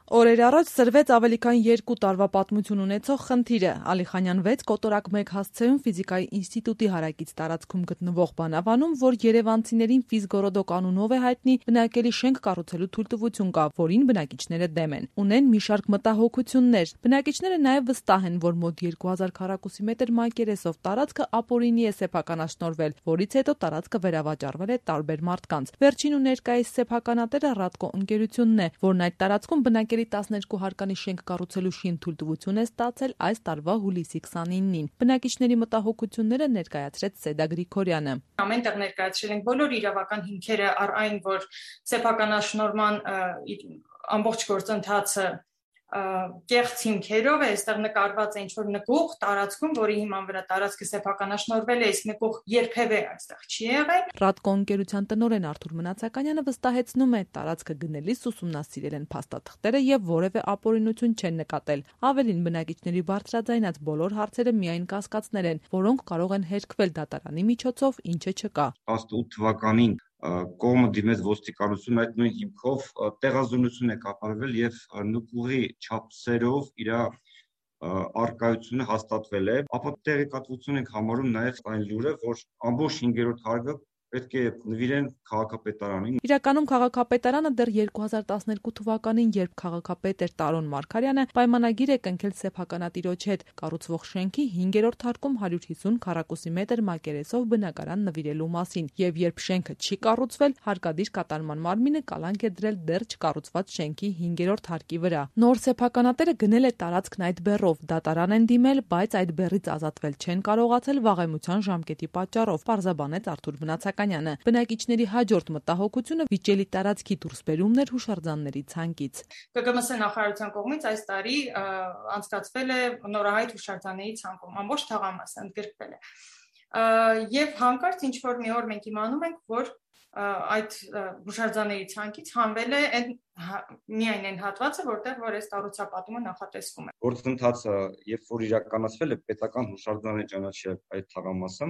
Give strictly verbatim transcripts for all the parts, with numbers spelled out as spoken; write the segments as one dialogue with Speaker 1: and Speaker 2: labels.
Speaker 1: Օրեր առաջ սրվեց ավելի քան երկու տարվա պատմություն ունեցող խնդիրը՝ Ալիխանյան վեց կոտորակ մեկ հասցեում ֆիզիկայի ինստիտուտի հարակից տարածքում գտնվող բանավանում, որ երևանցիներին Ֆիզգորոդոկ անունով է հայտնի, բնակելի շենք կառուցելու թույլտվություն կա, որին բնակիչները դեմ են։ Ունեն մի շարք մտահոգություններ։ Բնակիչները նաև վստահ են, որ մոտ երկու հազար քառակուսի մետր մակերեսով տարածքը ապօրինի է սեփականաշնորհվել, որից հետո տարածքը վերավաճառվել է տարբեր մարդկանց։ Վերջին ու ներկայիս սեփականատերը Ռադկո ընկերությունն է, որն այդ տարածքում բնակելի տասներկու հարկանի շենք կառուցելու շին թույլտվություն է ստացել այս տարվա հուլիսի քսանինին։ Բնակիչների մտահոգությունները ներկայացրեց Սեդա Գրիգորյանը։
Speaker 2: Ամենտեղ ներկայացրել ենք բոլոր իրավական հիմքերը առ այն, որ սեփականաշնորհման ամբողջ գործընթացը կեղծ հիմքերով է, այստեղ նկարված է ինչ-որ նկուղ տարածքում, որի հիման վրա տարածքը սեփականաշնորհվել է, իսկ նկուղ երբևէ այստեղ չի եղել։
Speaker 1: Ռադկո ընկերության տնօրեն Արթուր Մնացականյանը վստահեցնում է, տարածքը գնելիս ուսումնասիրել են փաստաթղթերը եւ որևէ ապօրինություն չեն նկատել։ Ավելին, բնակիչների բարձրաձայնած բոլոր հարցերը միայն կասկածներ են, որոնք կարող են հերքվել դատարանի միջոցով, ինչը չկա։
Speaker 3: տասնութ թվականին կողմը դիմեց ոստիկանություն այդ նույն հիմքով տեղազոնություն է կատարվել եւ նկուղի չափսերով իր արկայությունը հաստատվել է, ապա տեղեկատվություն ենք համարում նաեւ այն լուրը, որ ամբողջ հինգերորդ հարկը պետք է նվիրեն քաղաքապետարանին։
Speaker 1: Իրականում քաղաքապետարանը դեռ երկու հազար տասներկու թվականին, երբ քաղաքապետ էր Տարոն Մարգարյանը, պայմանագիր է կնքել սեփականատիրոջ հետ կառուցվող շենքի հինգերորդ հարկում հարյուր հիսուն քառակուսի մետր մակերեսով բնակարան նվիրելու մասին, եւ երբ շենքը չի կառուցվել, հարկադիր կատարման մարմինը կալանք է դրել դեռ չկառուցված շենքի հինգերորդ հարկի վրա։ Նոր սեփականատերը գնել է տարածքն այդ բեռով, դատարան են դիմել, բայց այդ բեռից ազատվել չեն կարողացել վաղեմության ժամկետի պատճառով, պարզաբանեց Արթուր Մնացականյանը։ Բնակիչների հաջորդ մտահոգությունը վիճելի տարածքի դուրսբերումն էր հուշարձանների ցանկից։
Speaker 2: Կը գ մ ս նախարարության կողմից այս տարի անցկացվել է նորահայտ հուշարձանների ցանկում, ամբողջ թաղամասը ընդգրկվել է։ Եվ հանկարծ ինչ որ մի օր մենք իմանում ենք, որ այդ հուշարձանների ցանկից հանվել է այն միայն այն հատվածը, որտեղ որ այս կառուցապատումը նախատեսվում է։
Speaker 3: Գործընթացը, երբ որ իրականացվել է, պետական հուշարձան է ճանաչել այդ թաղամասը,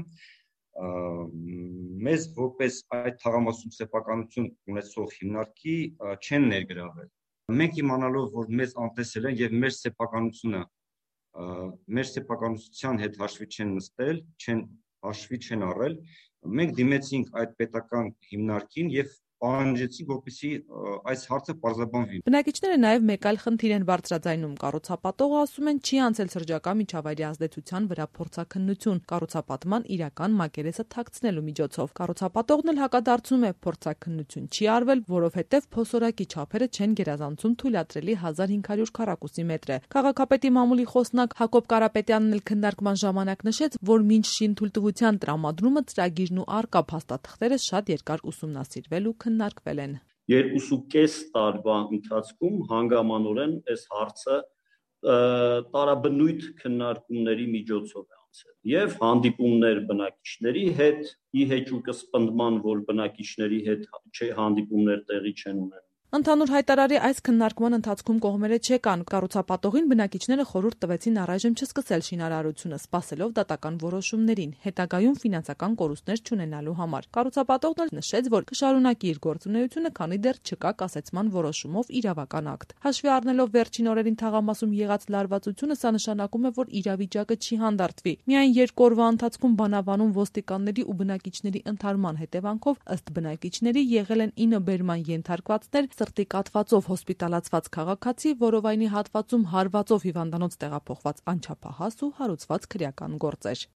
Speaker 3: մեզ որպես այդ թաղամասում սեփականություն ունեցող հիմնարկի չեն ներգրավել։ Մենք իմանալով, որ մեզ անտեսել են եւ մեր սեփականությունը մեր սեփականության հետ հաշվի չեն նստել, չեն հաշվի չեն առել, մենք դիմեցինք այդ պետական հիմնարկին եւ պահանջեցինք, որպեսզի այս հարցը պարզաբանվի։
Speaker 1: Բնակիչները նաև մեկ այլ խնդիր են բարձրաձայնում։ Կառուցապատողը ասում են չի անցել շրջակա միջավայրի ազդեցության վրա փորձաքննություն կառուցապատման իրական մակերեսը թաքցնելու միջոցով։ Կառուցապատողն էլ հակադարձում է, փորձաքննություն չի արվել, որովհետև փոսորակի չափերը չեն գերազանցում թույլատրելի հազար հինգ հարյուր քառակուսի մետրը։ Քաղաքապետի մամուլի խոսնակ Հակոբ Կարապետյանն էլ քննարկման ժամանակ նշեց, որ մինչ շինթույլտվության տրամադրումը ծրագիրն ու առկա փաստաթղթերը շատ երկար ուսումնասիրվել ու քննարկվել են։
Speaker 4: Երկուսուկես տարվա ընթացքում հանգամանորեն այս հարցը տարաբնույթ քննարկումների միջոցով է անցել եւ հանդիպումներ բնակիչների հետ, ի հեճուկը սպնդման, որ բնակիչների հետ հանդիպումներ տեղի չեն ունենում։
Speaker 1: Ընդհանուր հայտարարի այս քննարկման ընթացքում կողմերը չեկան։ Կառուցապատողին բնակիչները խորհուրդ տվեցին առայժմ չսկսել շինարարությունը, սպասելով դատական որոշումներին, հետագայում ֆինանսական կորուստներ չունենալու համար։ Կառուցապատողն էլ նշեց, որ կշարունակի իր գործունեությունը, քանի դեռ չկա կասեցման որոշումով իրավական ակտ։ Հաշվի առնելով վերջին օրերին թաղամասում եղած լարվածությունը, սա նշանակում է, որ իրավիճակը չի հանդարտվի։ Միայն երկու օրվա ընթացքում բանավանում ոստիկանների ու բնակիչների ընդհարման հետևանքով ըստ բնակիչների եղել են ինը բերման ենթարկվածներ, սրտի կաթվածով հոսպիտալացված քաղաքացի, որովայնի հատվածում հարվածով հիվանդանոց տեղափոխված անչափահաս ու հարուցված քրեական գործեր։